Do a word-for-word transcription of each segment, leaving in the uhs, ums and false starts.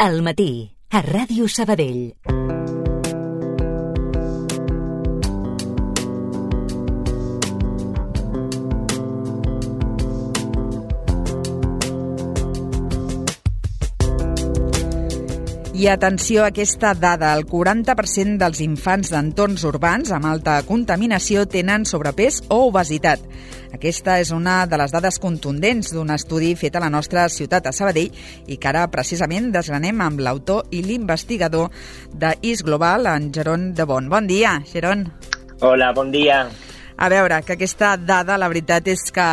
Al matí, a Ràdio Sabadell. I atenció a aquesta dada, el quaranta per cent dels infants d'entorns urbans amb alta contaminació tenen sobrepès o obesitat. Aquesta és una de les dades contundents d'un estudi fet a la nostra ciutat, a Sabadell, i que ara precisament desgranem amb l'autor i l'investigador d'Is Global, en Jeron de Bon. Bon dia, Jeron. Hola, bon dia. A veure, que aquesta dada, la veritat és que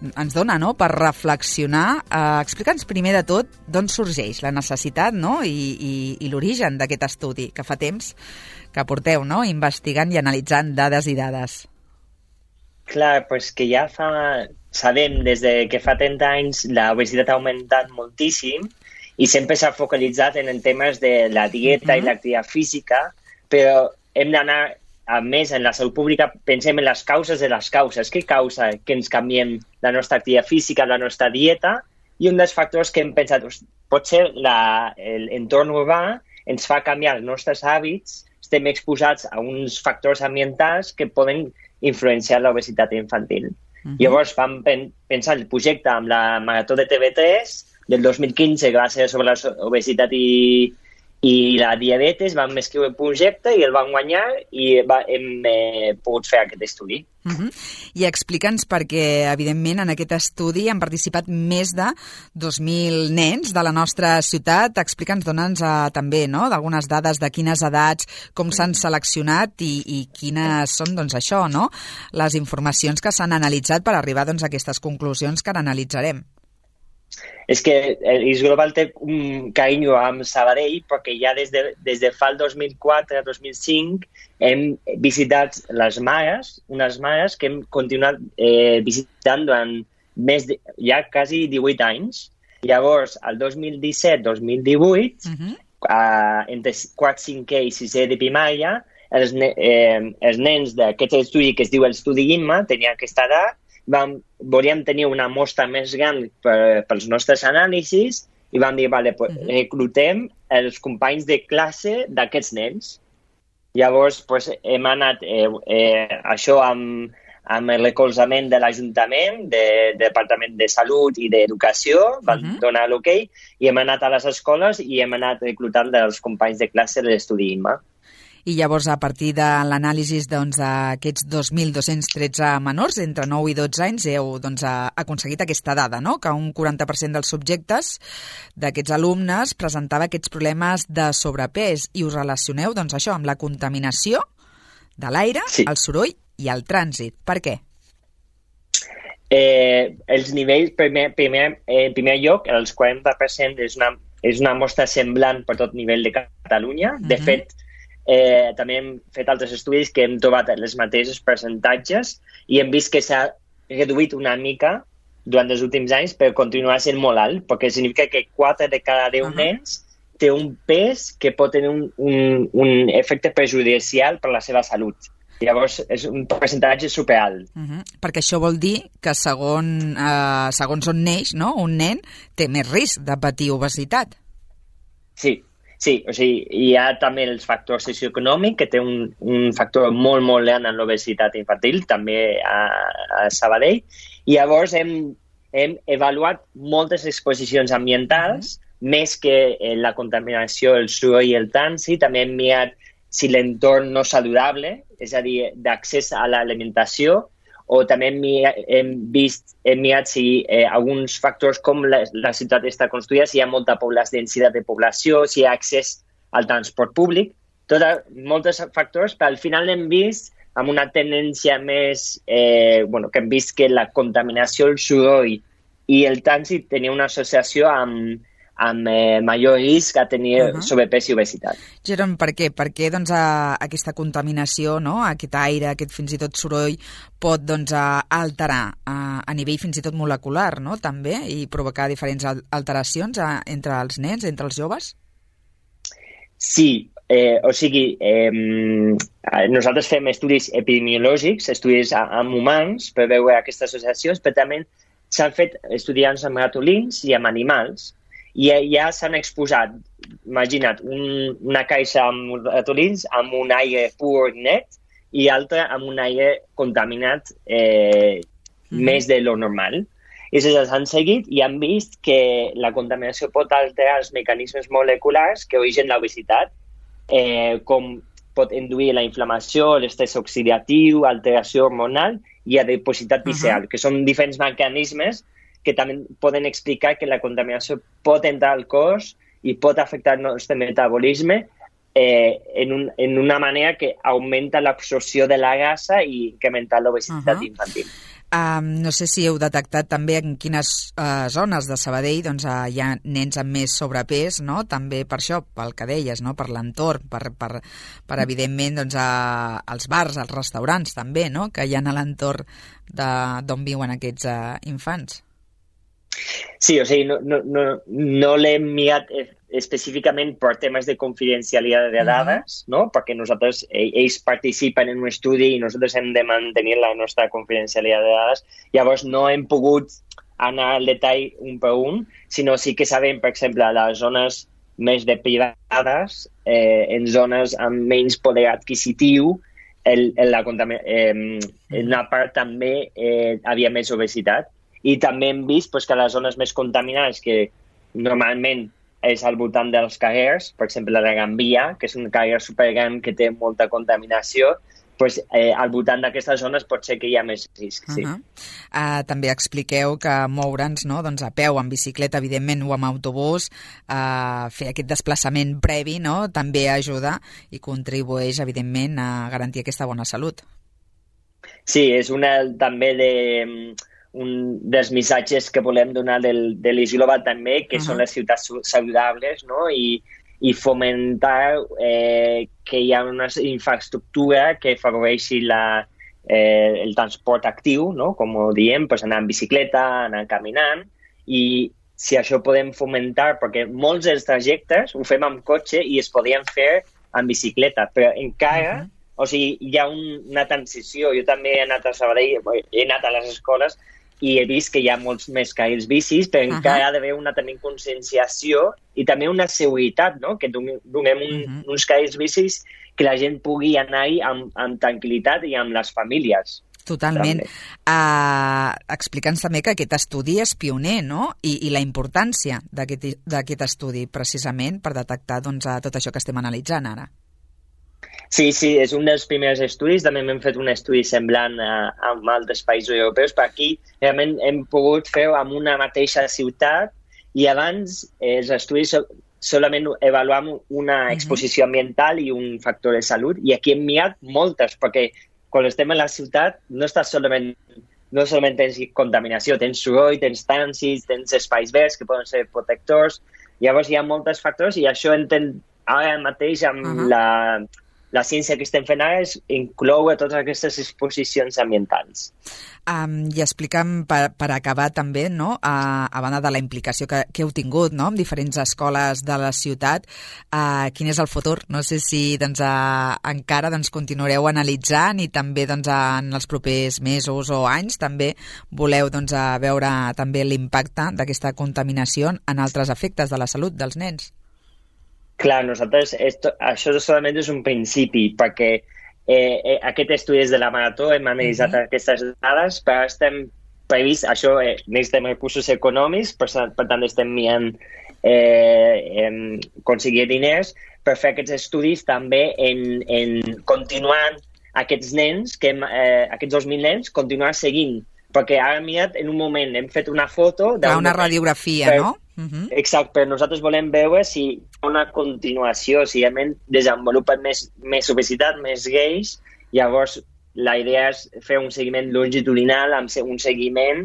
ens dona, no?, per reflexionar. Eh, Explica'ns primer de tot d'on sorgeix la necessitat, no?, i, i, i l'origen d'aquest estudi que fa temps que porteu, no?, investigant i analitzant dades i dades. Clar, doncs que ja fa... Sabem des de que fa trenta anys l'obesitat ha augmentat moltíssim i sempre s'ha focalitzat en temes de la dieta mm-hmm. i l'activitat física, però hem d'anar... A més, en la salut pública pensem en les causes de les causes. Què causa que ens canviem la nostra activitat física, la nostra dieta? I un dels factors que hem pensat, potser l'entorn urbà ens fa canviar els nostres hàbits, estem exposats a uns factors ambientals que poden influenciar l'obesitat infantil. Uh-huh. Llavors vam pen pensar el projecte amb la Marató de T V tres del dos mil quinze, que va ser sobre l'obesitat i i la diabetes, vam escriure el projecte i el vam guanyar i va, hem eh, pogut fer aquest estudi. Uh-huh. I explica'ns perquè, evidentment, en aquest estudi han participat més de dos mil nens de la nostra ciutat. Explica'ns, dona'ns uh, també, no?, d'algunes dades de quines edats, com s'han seleccionat i, i quines són, doncs, això, no?, les informacions que s'han analitzat per arribar, doncs, a aquestes conclusions que ara analitzarem. És que Is Global té un carinyo amb Sabadell perquè ja des de, des de fa el dos mil quatre dos mil cinc hem visitat les mares, unes mares que hem continuat eh, visitant durant més de, ja quasi divuit anys. Llavors, el dos mil disset dos mil divuit, uh-huh. eh, entre quart, cinquè i sisè de primària, els, ne eh, els nens d'aquest estudi que es diu l'estudi Imma tenien aquesta edat. Vam, volíem tenir una mostra més gran per, pels nostres anàlisis i vam dir, vale, pues, uh-huh. reclutem els companys de classe d'aquests nens. Llavors, pues, hem anat eh, eh, això amb, amb el recolzament de l'Ajuntament, de, del Departament de Salut i d'Educació, van uh-huh. donar l'ok, i hem anat a les escoles i hem anat reclutant els companys de classe de l'estudi Imma. I llavors, a partir de l'anàlisi doncs, d'aquests dos mil dos-cents tretze menors, entre nou i dotze anys, heu doncs, aconseguit aquesta dada, no?, que un quaranta per cent dels subjectes d'aquests alumnes presentava aquests problemes de sobrepès i us relacioneu doncs, això amb la contaminació de l'aire, sí. el soroll i el trànsit. Per què? Eh, els nivells, primer, primer, en primer lloc, els quaranta per cent és una, és una mostra semblant per tot nivell de Catalunya. Uh-huh. De fet, Eh, també hem fet altres estudis que hem trobat els mateixos percentatges i hem vist que s'ha reduït una mica durant els últims anys, però continua sent molt alt, perquè significa que quatre de cada deu uh-huh. nens té un pes que pot tenir un, un, un efecte perjudicial per la seva salut. Llavors, és un percentatge superalt. Uh-huh. Perquè això vol dir que segon, eh, segons on neix, no?, un nen té més risc de patir obesitat. Sí. Sí, o sigui, hi ha també els factors socioeconòmics, que té un, un factor molt, molt gran en l'obesitat infantil, també a, a Sabadell. I llavors hem, hem avaluat moltes exposicions ambientals, mm-hmm. més que la contaminació, el soroll i el trànsit. També hem mirat si l'entorn no saludable, és a dir, d'accés a l'alimentació, o també hem, hem vist, hem mirat si eh, alguns factors com la, la ciutat està construïda, si hi ha molta població, densitat de població, si hi ha accés al transport públic, tot, molts factors, però al final hem vist amb una tendència més, eh, bueno, que hem vist que la contaminació, el soroll i el trànsit tenia una associació amb, amb eh, major risc a tenir uh-huh. sobrepès i obesitat. Jeron, per què? Per què doncs, a, aquesta contaminació, no? Aquest aire, aquest fins i tot soroll, pot doncs, a, alterar a, a nivell fins i tot molecular, no?, també, i provocar diferents alteracions a, entre els nens, entre els joves? Sí, eh, o sigui, eh, nosaltres fem estudis epidemiològics, estudis amb humans per veure aquestes associacions, però també s'han fet estudiants amb ratolins i amb animals. i ja s'han exposat, imagina't, un, una caixa amb ratolins amb un aire pur net i altra amb un aire contaminat eh, mm. més de lo normal. I llavors han seguit i han vist que la contaminació pot alterar els mecanismes moleculars que originen l'obesitat, eh, com pot induir la inflamació, l'estrès oxidatiu, alteració hormonal i adipositat visceral, uh-huh. que són diferents mecanismes que també poden explicar que la contaminació pot entrar al cos i pot afectar el nostre metabolisme eh, en, un, en una manera que augmenta l'absorció de la grassa i incrementa l'obesitat uh-huh. infantil. Um, no sé si heu detectat també en quines uh, zones de Sabadell doncs, uh, hi ha nens amb més sobrepès, no? També per això, pel que deies, no? Per l'entorn, per, per, per evidentment doncs, uh, els bars, els restaurants també, no? Que hi ha a l'entorn d'on viuen aquests uh, infants. Sí, o sigui, no, no, no, no l'hem mirat específicament per temes de confidencialitat de dades, uh-huh. no? Perquè nosaltres, ells participen en un estudi i nosaltres hem de mantenir la nostra confidencialitat de dades. Llavors no hem pogut anar al detall un per un, sinó sí que sabem, per exemple, a les zones més depredades, eh, en zones amb menys poder adquisitiu, el, el, la eh, en una part també eh, havia més obesitat. I també hem vist pues, que les zones més contaminades, que normalment és al voltant dels carrers, per exemple la Gran Via, que és un carrer supergran que té molta contaminació, pues, eh, al voltant d'aquestes zones pot ser que hi ha més risc. Sí. Uh-huh. uh, també expliqueu que moure'ns no? doncs a peu, en bicicleta, evidentment, o amb autobús, uh, fer aquest desplaçament previ no? també ajuda i contribueix, evidentment, a garantir aquesta bona salut. Sí, és una també de... un dels missatges que volem donar del, de l'Eix Global també, que uh-huh. són les ciutats saludables, no? I, i fomentar eh, que hi ha una infraestructura que afavoreixi la, eh, el transport actiu, no? Com ho diem, pues anar en bicicleta, anar caminant, i si això podem fomentar, perquè molts dels trajectes ho fem amb cotxe i es podien fer en bicicleta, però encara, uh-huh. o sigui, hi ha un, una transició. Jo també he anat a Sabadell, he anat a les escoles, i he vist que hi ha molts més carrils bicis, però uh-huh. encara ha d'haver una també conscienciació i també una seguretat, no? Que donem un, uh-huh. uns carrils bicis que la gent pugui anar-hi amb, amb tranquil·litat i amb les famílies. Totalment. Uh, Explica'ns també que aquest estudi és pioner, no? I, i la importància d'aquest estudi, precisament, per detectar doncs, tot això que estem analitzant ara. Sí, sí, és un dels primers estudis. També hem fet un estudi semblant a, a altres països europeus, però aquí realment hem pogut fer amb una mateixa ciutat i abans eh, els estudis so, solament avaluam una exposició ambiental i un factor de salut, i aquí hem mirat moltes, perquè quan estem a la ciutat no estàs solament, no solament tens contaminació, tens soroll, tens trànsits, tens espais verds que poden ser protectors, llavors hi ha molts factors i això enten, ara mateix amb uh-huh. la... La ciència que estem fent ara és incloure totes aquestes exposicions ambientals. Um, I explica'm, per, per acabar també, no? uh, a banda de la implicació que, que heu tingut no? amb diferents escoles de la ciutat, uh, quin és el futur? No sé si doncs, uh, encara doncs, continuareu analitzant i també doncs, uh, en els propers mesos o anys també voleu doncs, uh, veure també l'impacte d'aquesta contaminació en altres efectes de la salut dels nens. Clar, nosaltres, esto, això solament és un principi, perquè eh, eh, aquest estudi és de la Marató, hem analitzat uh-huh. aquestes dades, però estem previst, això, eh, necessitem recursos econòmics, per, per tant estem mirant eh, en aconseguir diners per fer aquests estudis també en, en continuar aquests nens, que hem, eh, aquests dos mil nens, continuar seguint, perquè ara mirat, en un moment hem fet una foto... Una moment, radiografia, per, no? Uh-huh. Exacte, però nosaltres volem veure si hi ha una continuació, si realment desenvolupen més, més obesitat, més gais, llavors la idea és fer un seguiment longitudinal amb un seguiment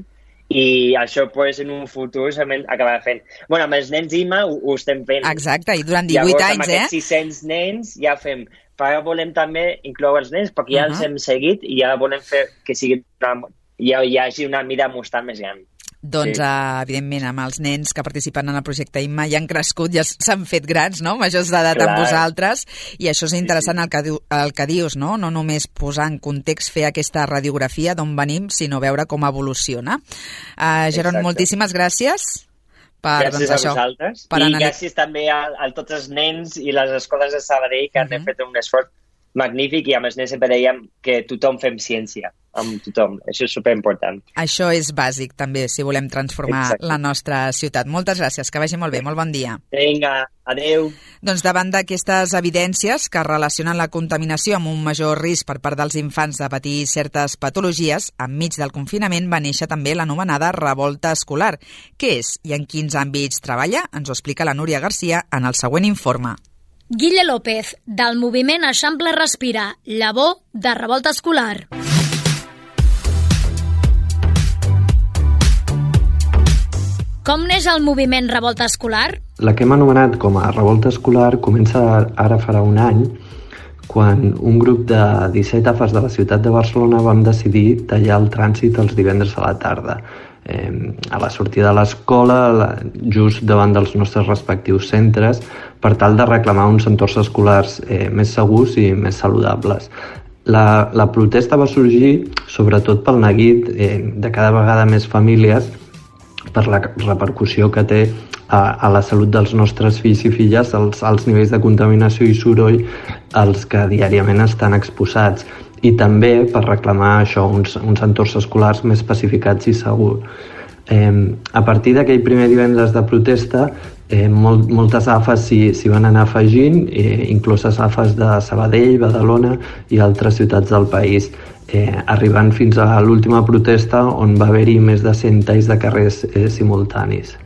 i això pues, en un futur acabarà fent. Bueno, amb els nens I M A ho, ho estem fent. Exacte, i durant divuit llavors, anys, eh? Llavors, amb aquests sis-cents nens ja fem. Però ara volem també incloure els nens, perquè ja uh-huh. els hem seguit i ja volem fer que sigui una, ja hi hagi una mira mostral més gran. Doncs, sí. uh, evidentment, amb els nens que participen en el projecte I M A ja han crescut, ja s'han fet grans, no?, majors d'edat amb vosaltres, i això és interessant sí, sí. El, que diu, el que dius, no?, no només posar en context, fer aquesta radiografia d'on venim, sinó veure com evoluciona. Uh, Geron, moltíssimes gràcies per, gràcies doncs, a això, vosaltres. Per I analitzar. gràcies també a, a tots els nens i les escoles de Sabadell que han uh -huh. fet un esforç magnífic, i amb els nens sempre dèiem que tothom fem ciència, amb tothom. Això és superimportant. Això és bàsic, també, si volem transformar Exacte. la nostra ciutat. Moltes gràcies, que vagi molt bé, molt bon dia. Vinga, adeu. Doncs davant d'aquestes evidències que relacionen la contaminació amb un major risc per part dels infants de patir certes patologies, enmig del confinament va néixer també l'anomenada revolta escolar. Què és i en quins àmbits treballa? Ens ho explica la Núria Garcia en el següent informe. Guille López, del moviment Eixample Respira, llavor de revolta escolar. Com neix el moviment Revolta Escolar? La que hem anomenat com a Revolta Escolar comença ara farà un any, quan un grup de disset A F Es de la ciutat de Barcelona vam decidir tallar el trànsit els divendres a la tarda. Eh, a la sortida de l'escola, just davant dels nostres respectius centres, per tal de reclamar uns entorns escolars eh, més segurs i més saludables. La, la protesta va sorgir sobretot pel neguit eh, de cada vegada més famílies per la repercussió que té a, a la salut dels nostres fills i filles, els alts nivells de contaminació i soroll als que diàriament estan exposats, i també per reclamar això, uns, uns entorns escolars més pacificats i segurs. Eh, a partir d'aquell primer divendres de protesta, eh, molt, moltes A F Es s'hi, s'hi van anar afegint, eh, incloses A F Es de Sabadell, Badalona i altres ciutats del país, eh, arribant fins a l'última protesta on va haver-hi més de cent talls de carrers eh, simultanis.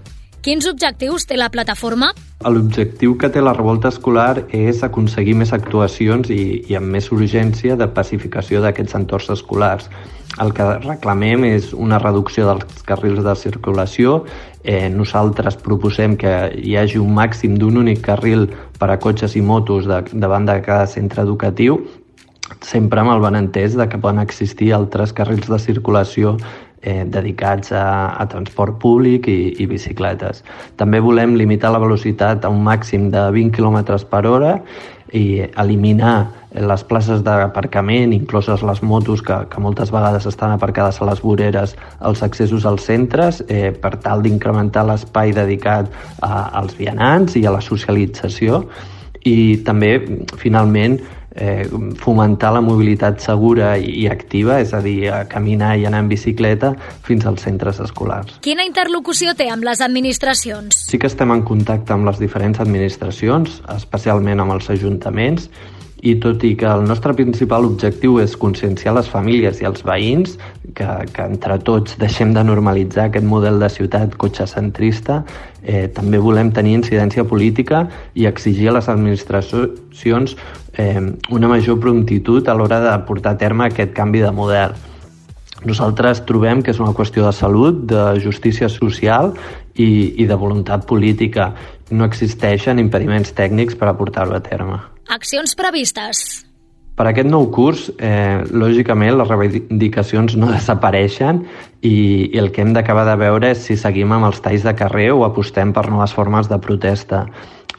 Quins objectius té la plataforma? L'objectiu que té la revolta escolar és aconseguir més actuacions i, i amb més urgència de pacificació d'aquests entorns escolars. El que reclamem és una reducció dels carrils de circulació. Eh, nosaltres proposem que hi hagi un màxim d'un únic carril per a cotxes i motos de, davant de cada centre educatiu, sempre amb el benentès de que poden existir altres carrils de circulació eh, dedicats a, a transport públic i, i bicicletes. També volem limitar la velocitat a un màxim de vint quilòmetres per hora i eliminar les places d'aparcament, incloses les motos que, que moltes vegades estan aparcades a les voreres, als accessos als centres, eh, per tal d'incrementar l'espai dedicat a, als vianants i a la socialització, i també, finalment, eh, fomentar la mobilitat segura i activa, és a dir, a caminar i anar en bicicleta fins als centres escolars. Quina interlocució té amb les administracions? Sí que estem en contacte amb les diferents administracions, especialment amb els ajuntaments, i tot i que el nostre principal objectiu és conscienciar les famílies i els veïns, que, que entre tots deixem de normalitzar aquest model de ciutat cotxecentrista, eh, també volem tenir incidència política i exigir a les administracions eh, una major promptitud a l'hora de portar a terme aquest canvi de model. Nosaltres trobem que és una qüestió de salut, de justícia social i, i de voluntat política. No existeixen impediments tècnics per a portar-ho a terme. Accions previstes. Per aquest nou curs, eh, lògicament, les reivindicacions no desapareixen i, i el que hem d'acabar de veure és si seguim amb els talls de carrer o apostem per noves formes de protesta.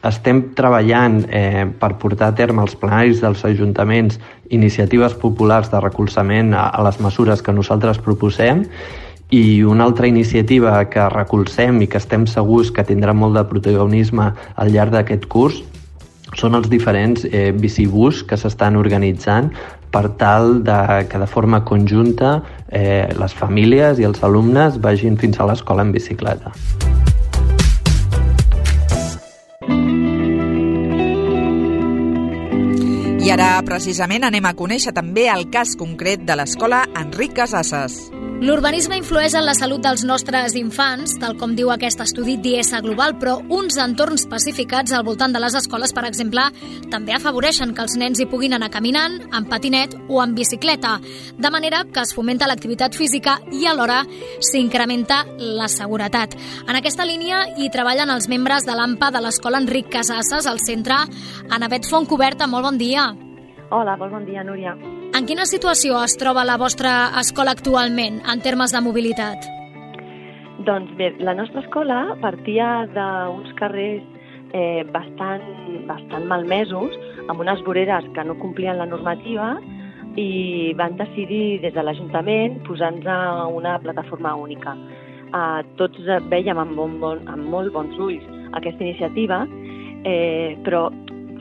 Estem treballant eh, per portar a terme als plenaris dels ajuntaments iniciatives populars de recolzament a, a les mesures que nosaltres proposem, i una altra iniciativa que recolzem i que estem segurs que tindrà molt de protagonisme al llarg d'aquest curs són els diferents eh, bicibús que s'estan organitzant per tal de que de forma conjunta eh, les famílies i els alumnes vagin fins a l'escola en bicicleta. I ara, precisament, anem a conèixer també el cas concret de l'escola Enric Casasses. L'urbanisme influeix en la salut dels nostres infants, tal com diu aquest estudi d'I S Global, però uns entorns pacificats al voltant de les escoles, per exemple, també afavoreixen que els nens hi puguin anar caminant, en patinet o en bicicleta, de manera que es fomenta l'activitat física i alhora s'incrementa la seguretat. En aquesta línia hi treballen els membres de l'AMPA de l'escola Enric Casasses al centre. Anavet Fontcoberta, molt bon dia. Hola, molt bon dia, Núria. En quina situació es troba la vostra escola actualment, en termes de mobilitat? Doncs bé, la nostra escola partia d'uns carrers eh, bastant, bastant malmesos, amb unes voreres que no complien la normativa, i van decidir des de l'Ajuntament posar-nos una plataforma única. eh, tots veiem amb, bon, bon, amb molt bons ulls aquesta iniciativa, eh, però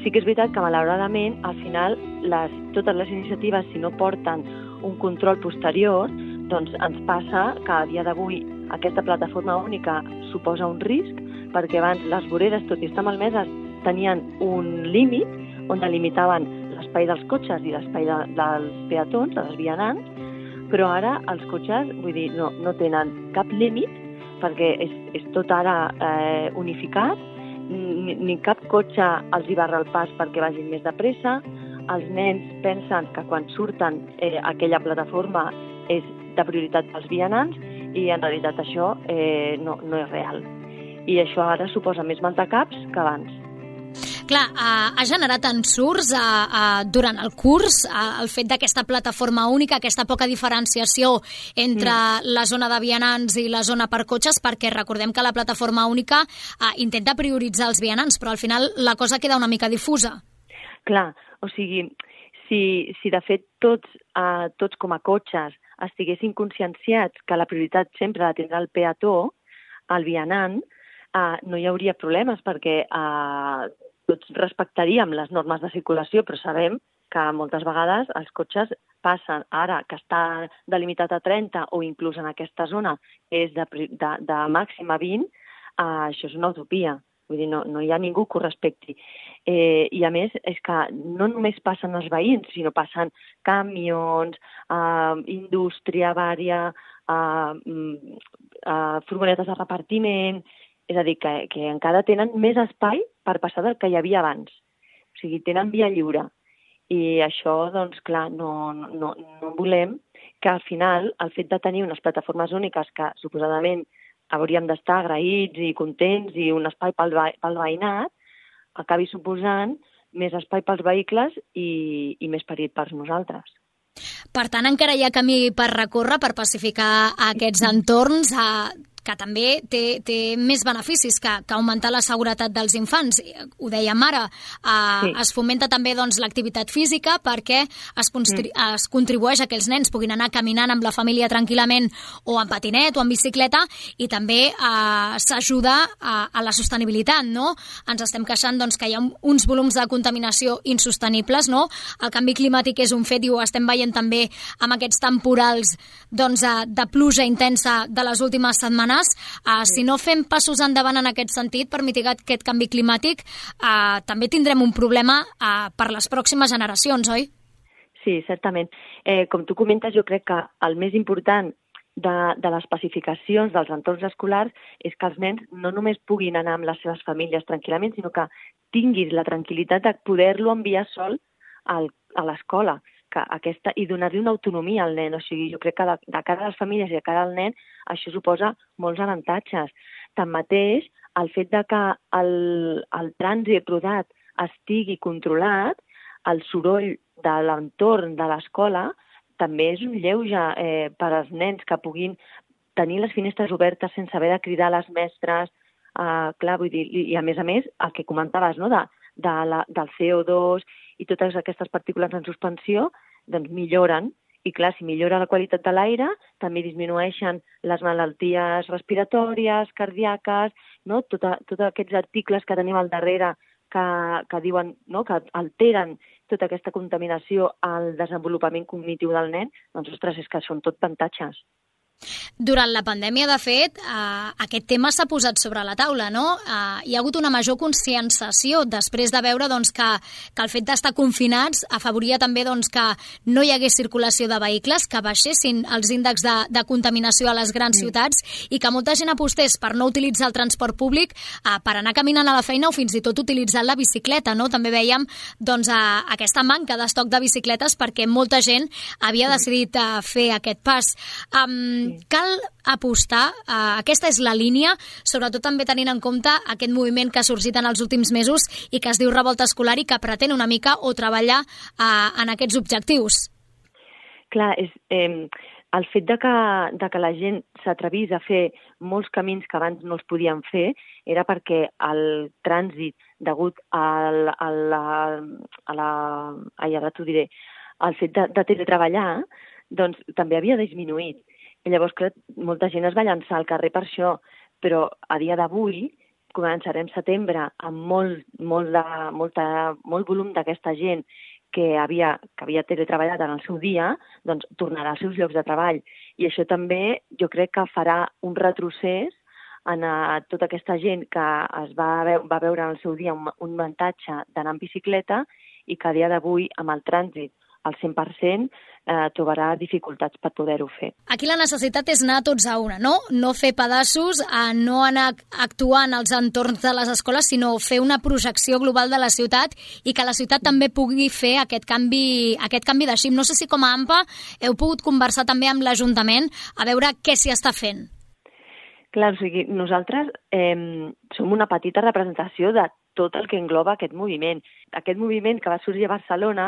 sí que és veritat que malauradament al final les, totes les iniciatives, si no porten un control posterior, doncs ens passa que a dia d'avui aquesta plataforma única suposa un risc, perquè abans les voreres, tot i estar malmeses, tenien un límit on delimitaven l'espai dels cotxes i l'espai de, dels peatons, dels vianants, però ara els cotxes, vull dir, no, no tenen cap límit, perquè és, és tot ara eh, unificat, ni, ni cap cotxe els hi barra el pas perquè vagin més de pressa, els nens pensen que quan surten eh, aquella plataforma és de prioritat pels vianants i en realitat això eh, no, no és real. I això ara suposa més maldecaps que abans. Clar, ha, ha generat ensurts a, a, durant el curs a, el fet d'aquesta plataforma única, aquesta poca diferenciació entre mm. la zona de vianants i la zona per cotxes, perquè recordem que la plataforma única a, intenta prioritzar els vianants, però al final la cosa queda una mica difusa. Clar, o sigui, si, si de fet tots, eh, tots com a cotxes estiguessin conscienciats que la prioritat sempre la tindrà el peató, el vianant, eh, no hi hauria problemes perquè eh, tots respectaríem les normes de circulació, però sabem que moltes vegades els cotxes passen, ara que està delimitat a trenta o inclús en aquesta zona és de, de, de màxim a vint, eh, això és una utopia. Vull dir, no, no hi ha ningú que ho respecti. Eh, I a més, és que no només passen els veïns, sinó passen camions, eh, indústria vària, eh, eh, furgonetes de repartiment. És a dir, que, que encara tenen més espai per passar del que hi havia abans. O sigui, tenen via lliure. I això, doncs, clar, no, no, no volem que al final el fet de tenir unes plataformes úniques que suposadament hauríem d'estar agraïts i contents i un espai pel, pel veïnat, acabi suposant més espai pels vehicles i, i més perill per nosaltres. Per tant, encara hi ha camí per recórrer, per pacificar aquests entorns, a... que també té, té més beneficis que, que augmentar la seguretat dels infants. Ho dèiem ara, eh, sí. Es fomenta també doncs, l'activitat física perquè es, constri- mm. es contribueix a que els nens puguin anar caminant amb la família tranquil·lament o en patinet o en bicicleta i també eh, s'ajuda a, a la sostenibilitat, no? Ens estem queixant doncs, que hi ha uns volums de contaminació insostenibles, no? El canvi climàtic és un fet i ho estem veient també amb aquests temporals doncs, de pluja intensa de les últimes setmanes. Uh, si no fem passos endavant en aquest sentit per mitigar aquest canvi climàtic, uh, també tindrem un problema uh, per les pròximes generacions, oi? Sí, certament. Eh, com tu comentes, jo crec que el més important de, de les pacificacions dels entorns escolars és que els nens no només puguin anar amb les seves famílies tranquil·lament, sinó que tinguis la tranquil·litat de poder-lo enviar sol al, a l'escola. Que aquesta, i donar-li una autonomia al nen. O sigui, jo crec que de, de cara a les famílies i de cara al nen això suposa molts avantatges. Tanmateix, el fet de que el, el trànsit rodat estigui controlat, el soroll de l'entorn de l'escola també és un lleuge eh, per als nens que puguin tenir les finestres obertes sense haver de cridar a les mestres. Eh, clar, vull dir, i, i a més a més, el que comentaves, no?, de, de la, del C O dos i totes aquestes partícules en suspensió, doncs milloren. I clar, si millora la qualitat de l'aire, també disminueixen les malalties respiratòries, cardíaques, no? Tota, tots aquests articles que tenim al darrere que, que diuen, no?, que alteren tota aquesta contaminació al desenvolupament cognitiu del nen, doncs, ostres, és que són tot avantatges. Durant la pandèmia, de fet, eh, aquest tema s'ha posat sobre la taula, no? Eh, hi ha hagut una major conscienciació després de veure doncs, que, que el fet d'estar confinats afavoria també doncs, que no hi hagués circulació de vehicles, que baixessin els índexs de, de contaminació a les grans mm. ciutats i que molta gent apostés per no utilitzar el transport públic, eh, per anar caminant a la feina o fins i tot utilitzant la bicicleta, no? També veiem doncs, eh, aquesta manca d'estoc de bicicletes perquè molta gent havia decidit eh, fer aquest pas. Um, Cal apostar, uh, aquesta és la línia, sobretot també tenint en compte aquest moviment que ha sorgit en els últims mesos i que es diu Revolta Escolar i que pretén una mica o treballar uh, en aquests objectius. Clar, és, eh, el fet de que, de que la gent s'atrevís a fer molts camins que abans no es podien fer era perquè el trànsit degut al, a la... A la ai, ara t'ho diré, el fet de, de teletreballar doncs, també havia disminuït. I llavors, clar, molta gent es va llançar al carrer per això, però a dia d'avui començarem setembre amb molt, molt, de, molta, molt volum d'aquesta gent que havia, que havia teletreballat en el seu dia, doncs tornarà als seus llocs de treball. I això també jo crec que farà un retrocés en a tota aquesta gent que es va, veu, va veure en el seu dia un, un avantatge d'anar en bicicleta i que a dia d'avui, amb el trànsit al cent per cent, eh, trobarà dificultats per poder-ho fer. Aquí la necessitat és anar tots a una, no? No fer pedaços, a no anar actuant als entorns de les escoles, sinó fer una projecció global de la ciutat i que la ciutat també pugui fer aquest canvi, aquest canvi de xip. No sé si com a A M P A heu pogut conversar també amb l'Ajuntament a veure què s'hi està fent. Clar, o sigui, nosaltres eh, som una petita representació de tot el que engloba aquest moviment. Aquest moviment que va sorgir a Barcelona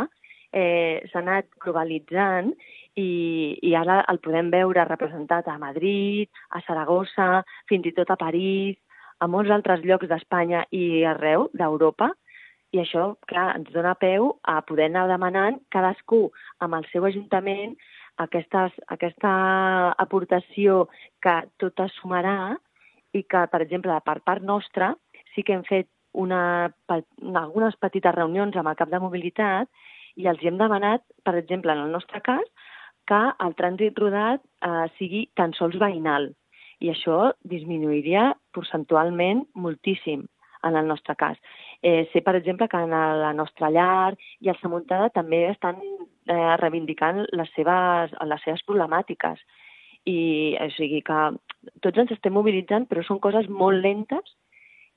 eh, s'ha anat globalitzant i, i ara el podem veure representat a Madrid, a Saragossa, fins i tot a París, a molts altres llocs d'Espanya i arreu d'Europa. I això, clar, ens dona peu a poder anar demanant cadascú amb el seu ajuntament Aquestes, aquesta aportació que tot es sumarà i que, per exemple, per part nostra sí que hem fet una, algunes petites reunions amb el cap de mobilitat i els hem demanat, per exemple, en el nostre cas, que el trànsit rodat eh, sigui tan sols veïnal. I això disminuiria percentualment moltíssim en el nostre cas. Eh, sé, per exemple, que en la nostra llar i el Samuntada també estan eh, reivindicant les seves, les seves problemàtiques. I o sigui que tots ens estem mobilitzant, però són coses molt lentes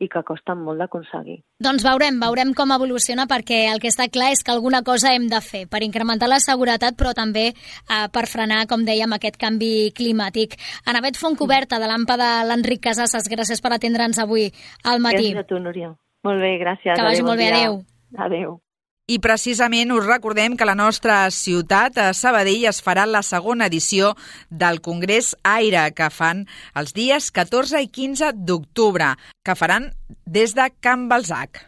i que costen molt d'aconseguir. Doncs veurem, veurem com evoluciona, perquè el que està clar és que alguna cosa hem de fer per incrementar la seguretat, però també eh, per frenar, com dèiem, aquest canvi climàtic. Anavet Fontcoberta, de l'A M P A de l'Enric Casasses, gràcies per atendre'ns avui al matí. Gràcies a tu, Núria. Molt bé, gràcies. Que vagi molt bé, adéu. Adéu. I precisament us recordem que la nostra ciutat, a Sabadell, es farà la segona edició del Congrés Aire, que fan els dies catorze i quinze d'octubre, que faran des de Can Balzac.